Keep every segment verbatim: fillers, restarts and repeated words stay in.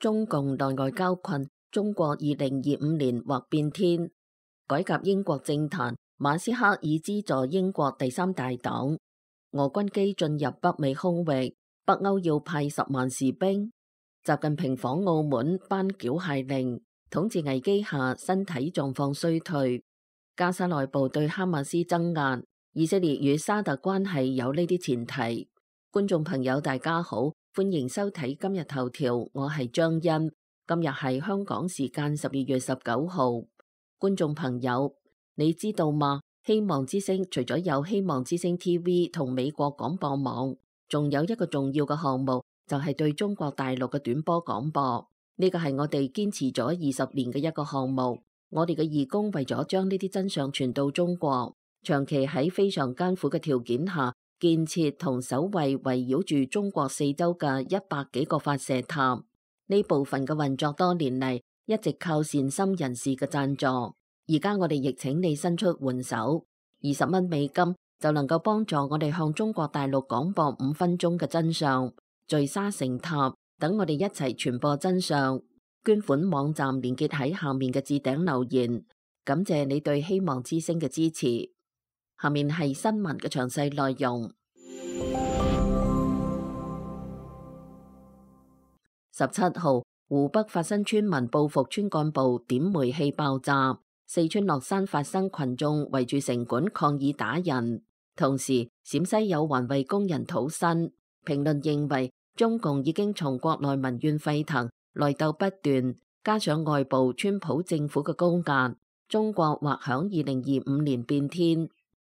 中共內外交困，中國二零二五年或變天。改革英國政壇，馬斯克已資助英國第三大黨。俄軍機進入北美空域，北歐要派十萬士兵。習近平訪澳門頒繳械令，統治危機下身體狀況衰退。加沙內部對哈馬斯增壓，以色列與沙特關係有呢啲前提。觀眾朋友大家好，歡迎收睇今日頭條，我係張欣。今日係香港時間十二月十九號。觀眾朋友，你知道嗎？希望之聲除咗有希望之聲 T V 同美國廣播網，仲有一個重要嘅項目，就係對中國大陸嘅短波廣播。呢個係我哋堅持咗二十年嘅一個項目。我哋嘅義工為咗將呢啲真相傳到中國，長期喺非常艱苦嘅條件下建設同守衛圍繞住中國四周嘅一百幾個發射塔。呢部分嘅運作多年嚟一直靠善心人士嘅贊助。而家我哋亦請你伸出援手，二十蚊美金就能夠幫助我哋向中國大陸廣播五分鐘嘅真相，聚沙成塔，等我哋一齊傳播真相。捐款網站連結喺下面嘅置頂留言，感謝你對希望之聲嘅支持。下面係新聞嘅詳細內容。十七號，湖北發生村民報復村幹部點煤氣爆炸。四川樂山發生群眾圍住城管抗議打人，同時陝西有環衛工人討薪。評論認為，中共已經從國內民怨沸騰、內鬥不斷，加上外部川普政府嘅高壓，中國或響二零二五年變天。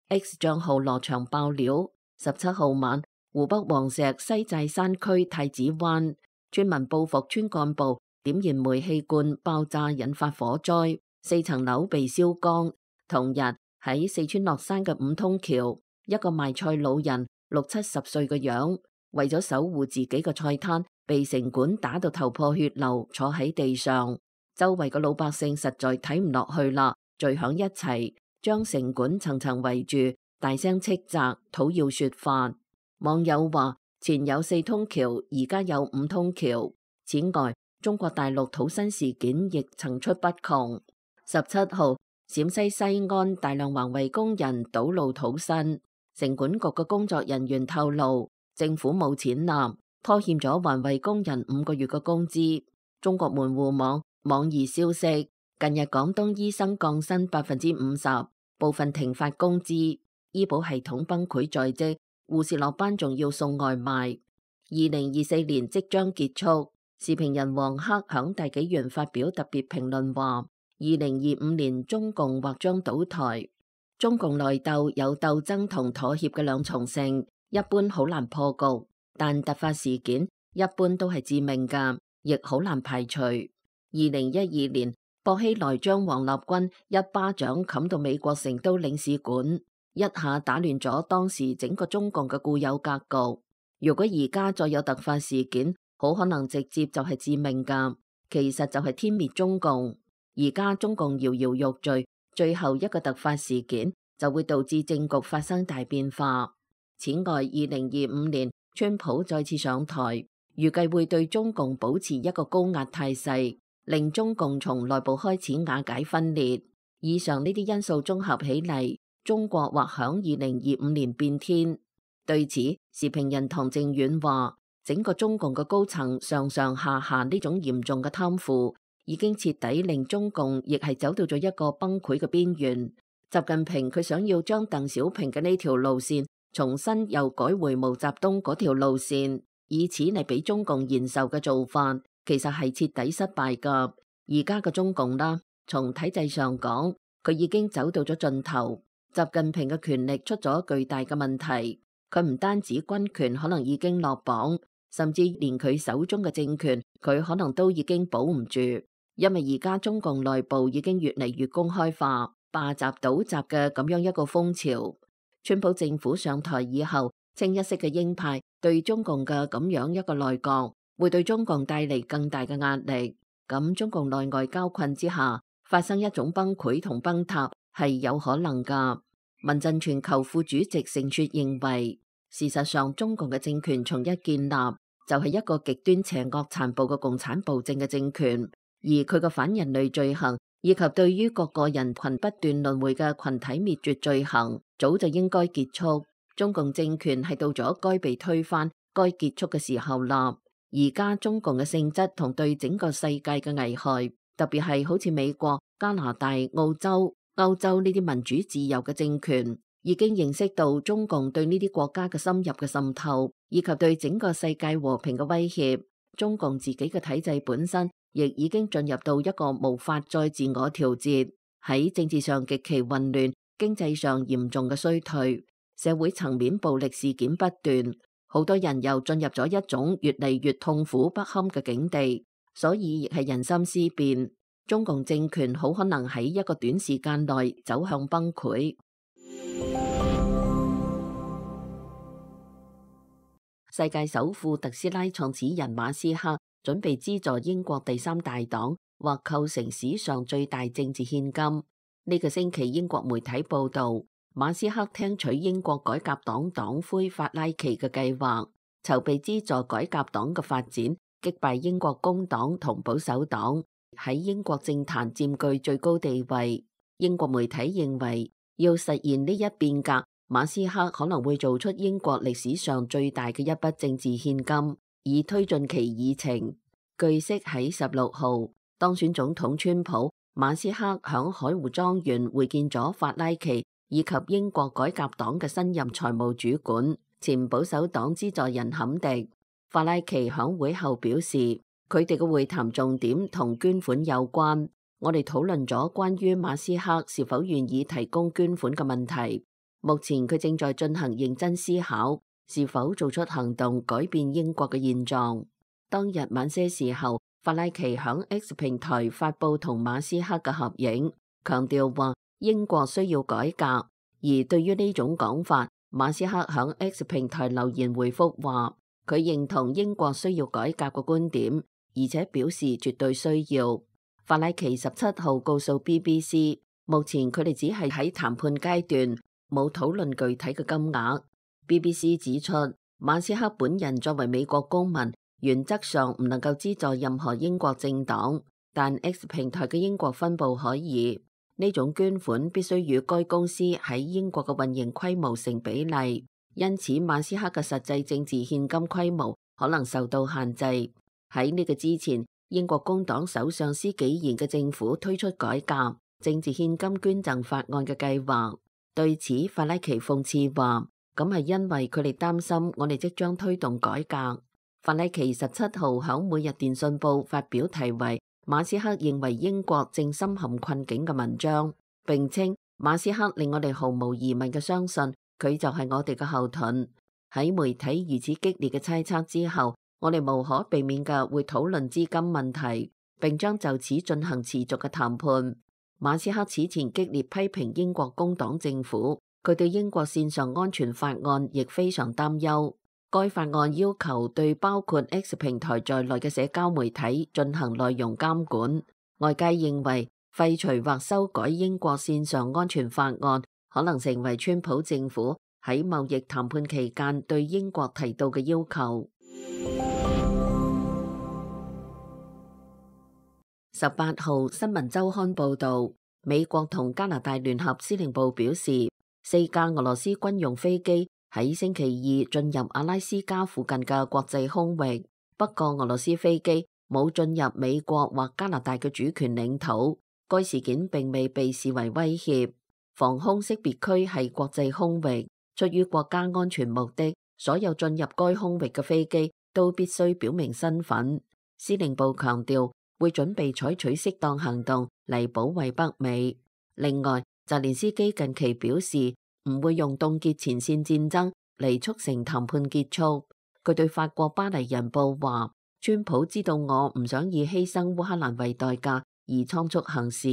X 賬號羅翔爆料，十七號晚，湖北黃石西寨山區太子灣，村民報復村幹部點燃煤氣罐爆炸，引發火災。四層樓被燒光。同日喺四川樂山嘅五通橋，一個賣菜老人六七十歲嘅樣，為咗守護自己嘅菜攤，被城管打到頭破血流，坐喺地上。周圍嘅老百姓實在睇唔落去啦，聚響一齊，將城管層層圍住，大聲斥責，討要說法。網友話：前有四通橋，而家有五通橋。此外，中國大陸討薪事件亦層出不窮。十七號，陝西西安大量環衛工人堵路討薪，城管局嘅工作人員透露，政府冇錢納，拖欠咗環衛工人五個月嘅工資。中國門戶網網易消息，近日廣東醫生降薪百分之五十，部分停發工資，醫保系統崩潰在即，護士落班仲要送外賣。二零二四年即將結束，時評人黃克響大紀元發表特別評論話，二零二五年中共或將倒台。中共內鬥有鬥爭同妥協嘅兩重性，一般好難破局，但突發事件一般都係致命噶，亦好難排除。二零一二年，薄熙來將王立軍一巴掌冚到美國成都領事館，一下打亂咗當時整個中共嘅固有格局。如果而家再有突發事件，好可能直接就係致命噶，其實就係天滅中共。而家中共搖搖欲墜，最後一個突發事件就會導致政局發生大變化。此外，二零二五年川普再次上台，預計會對中共保持一個高壓態勢，令中共從內部開始瓦解分裂。以上呢啲因素綜合起嚟，中國或響二零二五年變天。對此，時評人唐正遠話，整個中共嘅高層上上下下呢種嚴重嘅貪腐，已經徹底令中共亦係走到咗一個崩潰嘅邊緣。習近平佢想要將鄧小平嘅呢條路線重新又改回毛澤東嗰條路線，以此嚟俾中共延壽嘅做法，其實係徹底失敗噶。而家嘅中共啦，從體制上講，佢已經走到咗盡頭。習近平嘅權力出咗巨大嘅問題，佢唔單止軍權可能已經落榜，甚至連佢手中嘅政權，佢可能都已經保唔住。因為而家中共內部已經越嚟越公開化，霸習倒習嘅咁樣一個風潮。川普政府上台以後，清一色嘅鷹派對中共嘅咁樣一個內閣，會對中共帶嚟更大嘅壓力。咁中共內外交困之下，發生一種崩潰同崩塌係有可能噶。民陣全球副主席盛雪認為，事實上中共嘅政權從一建立就係一個極端邪惡殘暴嘅共產暴政嘅政權，而佢嘅反人類罪行以及對於各個人群不斷輪迴嘅群體滅絕罪行，早就應該結束。中共政權係到咗該被推翻、該結束嘅時候啦。而家中共嘅性質同對整個世界嘅危害，特別係好似美國、加拿大、澳洲、歐洲呢啲民主自由嘅政權，已經認識到中共對呢啲國家嘅深入嘅滲透，以及對整個世界和平嘅威脅。中共自己嘅體制本身亦已經進入到一個無法再自我調節，喺政治上極其混亂，經濟上嚴重嘅衰退，社會層面暴力事件不斷，好多人又進入咗一種越嚟越痛苦不堪嘅境地，所以亦係人心思變，中共政權好可能喺一個短時間內走向崩潰。世界首富特斯拉創始人馬斯克準備資助英國第三大黨，或構成史上最大政治獻金。呢個星期英國媒體報道，馬斯克聽取英國改革黨黨魁法拉奇嘅計劃，籌備資助改革黨嘅發展，擊敗英國工黨同保守黨，喺英國政壇佔據最高地位。英國媒體認為，要實現呢一變革，馬斯克可能會做出英國歷史上最大嘅一筆政治獻金，以推進其議程。據悉喺十六號，當選總統川普，馬斯克響海湖莊園會見咗法拉奇以及英國改革黨嘅新任財務主管、前保守黨資助人坎迪。法拉奇響會後表示，佢哋嘅會談重點同捐款有關。我哋討論咗關於馬斯克是否願意提供捐款嘅問題。目前佢正在進行認真思考，是否做出行動改變英國嘅現狀。當日晚些時候，法拉奇響 X 平台發佈同馬斯克嘅合影，強調話英國需要改革。而對於呢種講法，馬斯克響 X 平台留言回覆話，佢認同英國需要改革嘅觀點，而且表示絕對需要。法拉奇十七號告訴 B B C， 目前佢哋只係喺談判階段，冇討論具體嘅金額。B B C 指出，馬斯克本人作為美國公民，原則上唔能夠資助任何英國政黨，但 X 平台嘅英國分部可以。呢種捐款必須與該公司喺英國嘅運營規模成比例，因此馬斯克嘅實際政治獻金規模可能受到限制。喺呢個之前，英國工黨首相施紀賢嘅政府推出改革政治獻金捐贈法案嘅計劃。對此，法拉奇諷刺話，咁係因為佢哋擔心我哋即將推動改革。法拉奇十七號響每日電訊報發表題為馬斯克認為英國正深陷困境嘅文章，並稱馬斯克令我哋毫無疑問嘅相信佢就係我哋嘅後盾。喺媒體如此激烈嘅猜測之後，我哋無可避免嘅會討論資金問題，並將就此進行持續嘅談判。馬斯克此前激烈批評英國工黨政府，佢對英國線上安全法案亦非常擔憂。該法案要求對包括 X 平台在內嘅社交媒體進行內容監管。外界認為廢除或修改英國線上安全法案，可能成為川普政府喺貿易談判期間對英國提到嘅要求。十八號新聞週刊報導，美國同加拿大聯合司令部表示，四架俄羅斯軍用飛機喺星期二進入阿拉斯加附近嘅國際空域，不過俄羅斯飛機冇進入美國或加拿大嘅主權領土。該事件並未被視為威脅。防空識別區係國際空域，出於國家安全目的，所有進入該空域嘅飛機都必須表明身份。司令部強調，會準備採取適當行動嚟保衛北美。另外，澤連斯基近期表示唔會用凍結前線戰爭嚟促成談判結束。佢對法國巴黎人報話，川普知道我唔想以犧牲烏克蘭為代價而倉促行事。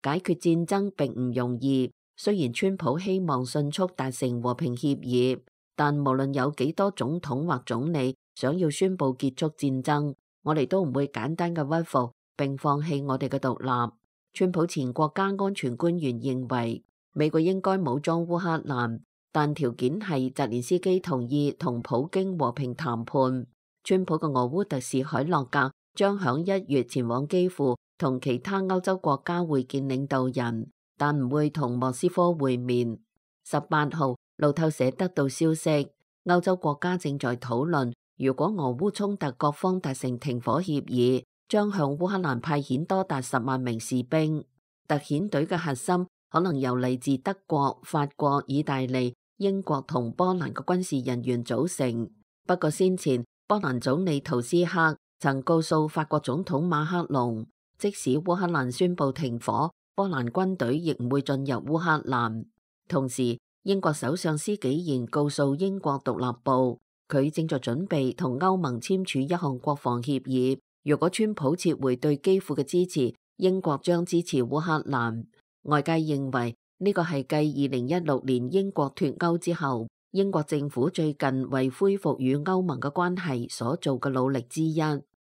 解決戰爭並唔容易，雖然川普希望迅速達成和平協議，但無論有幾多總統或總理想要宣布結束戰爭，我哋都唔會簡單嘅屈服並放棄我哋嘅獨立。川普前國家安全官員認為美國應該武裝烏克蘭，但條件係澤連斯基同意同普京和平談判。川普嘅俄烏特使海洛格將響一月前往基輔同其他歐洲國家會見領導人，但唔會同莫斯科會面。十八號，路透社得到消息，歐洲國家正在討論，如果俄烏衝突各方達成停火協議，將向烏克蘭派遣多達十萬名士兵。特遣隊嘅核心可能由嚟自德國、法國、意大利、英國同波蘭嘅軍事人員組成。不過先前波蘭總理圖斯克曾告訴法國總統馬克龍，即使烏克蘭宣布停火，波蘭軍隊亦唔會進入烏克蘭。同時，英國首相施紀賢告訴英國獨立報，佢正在準備同歐盟簽署一項國防協議。如果川普撤回對基輔嘅支持，英國將支持烏克蘭。外界認為呢個係繼二零一六年英國脫歐之後，英國政府最近為恢復與歐盟嘅關係所做嘅努力之一。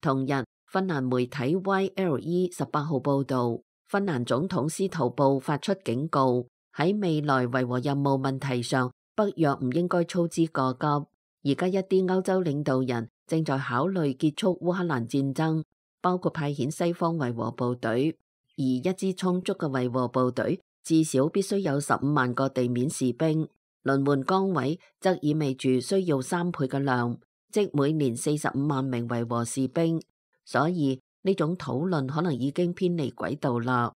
同日，芬蘭媒體 Y L E 十八號報道，芬蘭總統司徒布發出警告，喺未來維和任務問題上，北約唔應該操之過急。而家一啲歐洲領導人正在考慮結束烏克蘭戰爭，包括派遣西方維和部隊，而一支充足嘅維和部隊至少必須有十五萬個地面士兵，輪換崗位則意味住需要三倍嘅量，即每年四十五萬名維和士兵。所以呢種討論可能已經偏離軌道啦。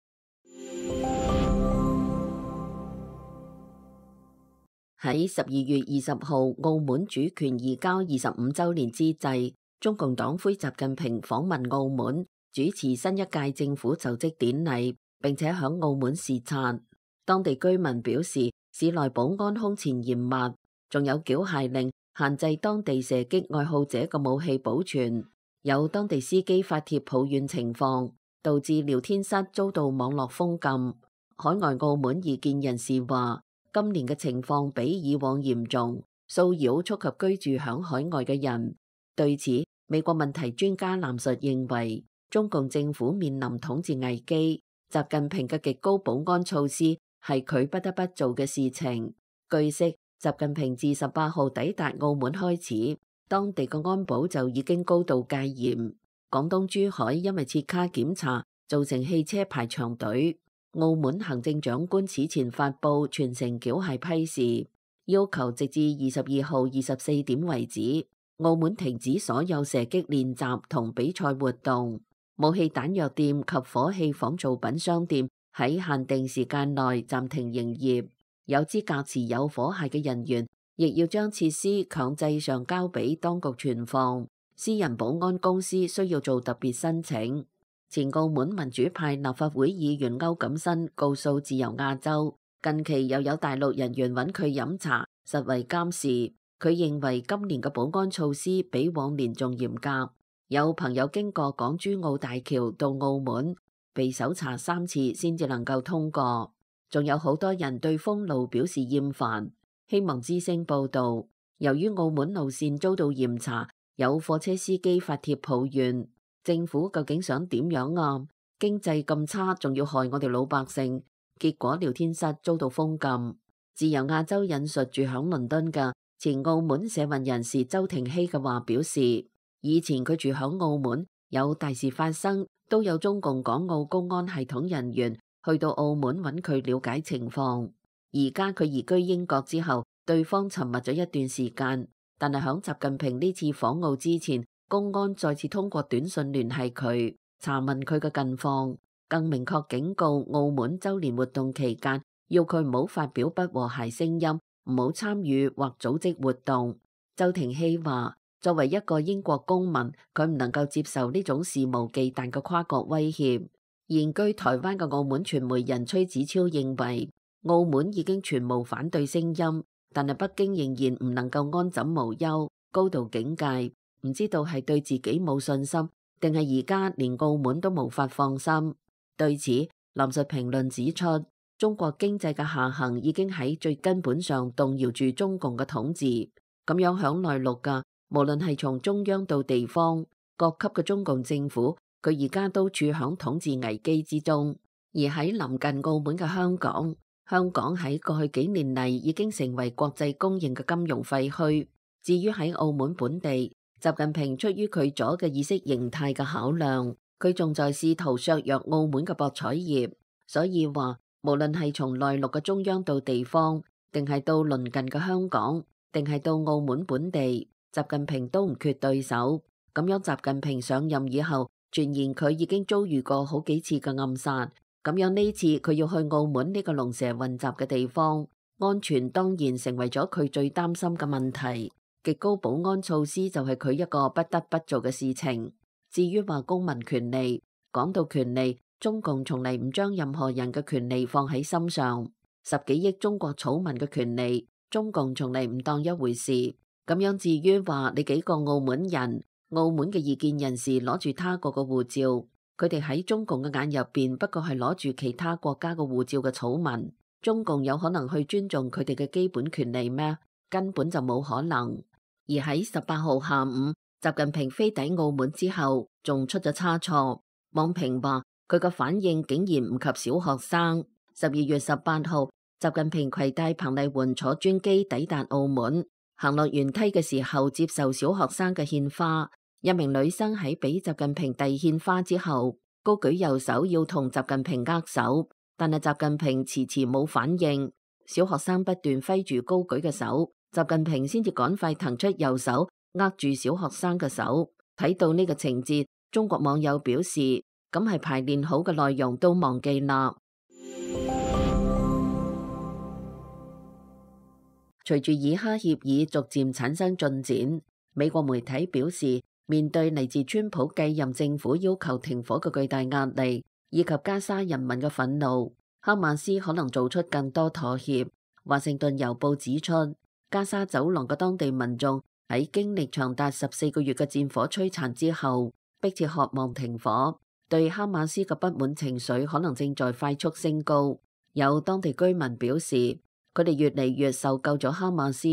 喺十二月二十號，澳門主權移交二十五週年之際，中共黨魁習近平訪問澳門，主持新一屆政府就職典禮，並且響澳門視察。當地居民表示，市內保安空前嚴密，仲有繳械令限制當地射擊愛好者嘅武器保存。有當地司機發帖抱怨情況，導致聊天室遭到網絡封禁。海外澳門異見人士話，今年嘅情況比以往嚴重，騷擾觸及居住響海外嘅人。對此，美國問題專家藍述認為，中共政府面臨統治危機，習近平嘅極高保安措施係佢不得不做嘅事情。據悉，習近平自十八號抵達澳門開始，當地嘅安保就已經高度戒嚴。廣東珠海因為設卡檢查，造成汽車排長隊。澳門行政長官此前發布全城繳械批示，要求直至二十二號二十四點為止，澳門停止所有射擊練習同比賽活動。武器彈藥店及火器仿造品商店喺限定時間內暫停營業，有資格持有火械嘅人員亦要將設施強制上交俾當局存放。私人保安公司需要做特別申請。前澳門民主派立法會議員歐錦新告訴自由亞洲，近期又有大陸人員揾佢飲茶，實為監視。佢認為今年嘅保安措施比往年仲嚴格。有朋友經過港珠澳大橋到澳門，被搜查三次先至能夠通過。仲有好多人對封路表示厭煩。希望之聲報道，由於澳門路線遭到嚴查，有貨車司機發帖抱怨。政府究竟想點樣啊？經濟咁差，仲要害我哋老百姓，結果聊天室遭到封禁。自由亞洲引述住響倫敦嘅前澳門社運人士周庭希嘅話表示，以前佢住響澳門，有大事發生，都有中共港澳公安系統人員去到澳門揾佢了解情況。而家佢移居英國之後，對方沉默咗一段時間，但係響習近平呢次訪澳之前，公安再次通過短信聯繫佢，查問佢嘅近況，更明確警告澳門周年活動期間要佢唔好發表不和諧聲音，唔好參與或組織活動。周庭希話，作為一個英國公民，佢唔能夠接受呢種肆無忌憚嘅跨國威脅。現居台灣嘅澳門傳媒人崔子超認為，澳門已經全無反對聲音，但係北京仍然唔能夠安枕無憂，高度警戒。唔知道係對自己冇信心，定係而家連澳門都無法放心。對此，林述評論指出，中國經濟嘅下行已經喺最根本上動搖住中共嘅統治。咁樣響內陸噶，無論係從中央到地方，各級嘅中共政府，佢而家都處響統治危機之中。而喺臨近澳門嘅香港，香港喺過去幾年嚟已經成為國際公認嘅金融廢墟。至於喺澳門本地，習近平出於佢左嘅意識形態嘅考量，佢仲在試圖削弱澳門嘅博彩業，所以話無論係從內陸嘅中央到地方，定係到鄰近嘅香港，定係到澳門本地，習近平都唔缺對手。咁樣習近平上任以後，傳言佢已經遭遇過好幾次嘅暗殺。咁樣呢次佢要去澳門呢個龍蛇混雜嘅地方，安全當然成為咗佢最擔心嘅問題。極高保安措施就係佢一個不得不做嘅事情。至於話公民權利，講到權利，中共從嚟唔將任何人嘅權利放喺心上。十幾億中國草民嘅權利，中共從嚟唔當一回事。咁樣至於話你幾個澳門人，澳門嘅異見人士攞住他國嘅護照，佢哋喺中共嘅眼入邊不過係攞住其他國家嘅護照嘅草民，中共有可能去尊重佢哋嘅基本權利咩？根本就冇可能。而喺十八號下午，習近平飛抵澳門之後，仲出咗差錯。網評話佢個反應竟然唔及小學生。十二月十八號，習近平攜帶彭麗媛坐專機抵達澳門，行落舷梯嘅時候接受小學生嘅獻花。一名女生喺俾習近平遞獻花之後，高舉右手要同習近平握手，但係習近平遲遲冇反應。小學生不斷揮住高舉嘅手，習近平先至趕快騰出右手握住小學生嘅手。睇到呢個情節，中國網友表示，咁係排練好嘅內容都忘記啦。隨住以哈協議逐漸產生進展，美國媒體表示，面對嚟自川普繼任政府要求停火嘅巨大壓力，以及加沙人民嘅憤怒，哈馬斯可能做出更多妥協。華盛頓郵報指出，加沙走廊嘅當地民眾喺經歷長達十四個月嘅戰火摧殘之後，迫切渴望停火，對哈馬斯嘅不滿情緒可能正在快速升高。有當地居民表示，佢哋越嚟越受夠咗哈馬斯，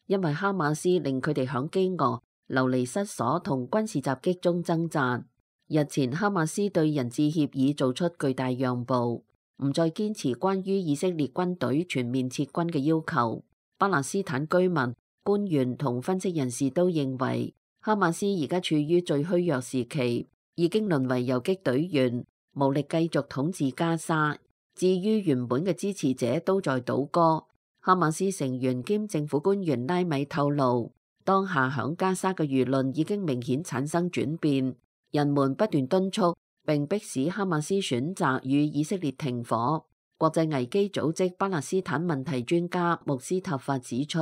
因為哈馬斯令佢哋響飢餓、流離失所同軍事襲擊中掙扎。日前，哈馬斯對人質協議做出巨大讓步，唔再堅持關於以色列軍隊全面撤軍嘅要求。巴勒斯坦居民、官員同分析人士都認為，哈馬斯而家處於最虛弱時期，已經淪為游擊隊員，無力繼續統治加沙。至於原本嘅支持者都在倒戈。哈馬斯成員兼政府官員拉米透露，當下響加沙嘅輿論已經明顯產生轉變，人們不斷敦促並迫使哈馬斯選擇與以色列停火。國際危機組織巴勒斯坦問題專家穆斯塔法指出，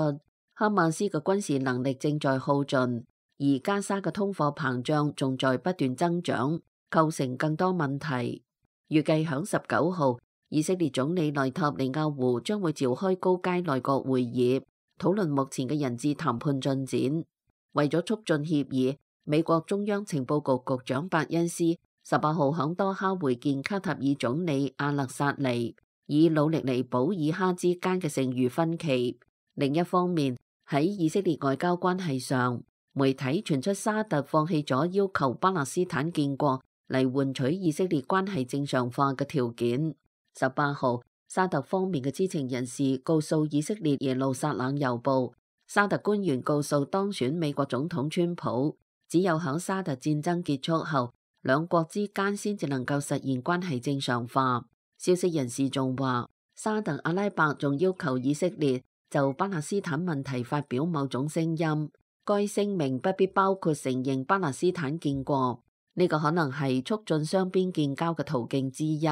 哈馬斯嘅軍事能力正在耗盡，而加沙嘅通貨膨脹仲在不斷增長，構成更多問題。預計響十九號，以色列總理內塔尼亞胡將會召開高階內閣會議，討論目前嘅人質談判進展。為咗促進協議，美國中央情報局局長伯恩斯十八號響多哈會見卡塔爾總理阿勒薩尼，以努力彌補以哈之間嘅剩餘分歧。另一方面，喺以色列外交關係上，媒體傳出沙特放棄咗要求巴勒斯坦建國嚟換取以色列關係正常化嘅條件。十八號，沙特方面嘅知情人士告訴以色列耶路撒冷郵報，沙特官員告訴當選美國總統川普，只有響沙特戰爭結束後，兩國之間先至能夠實現關係正常化。消息人士仲話，沙特阿拉伯仲要求以色列就巴勒斯坦問題發表某種聲音，該聲明不必包括承認巴勒斯坦建國，呢、這個可能係促進雙邊建交嘅途徑之一。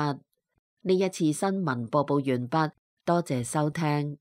呢一次新聞播報完畢，多謝收聽。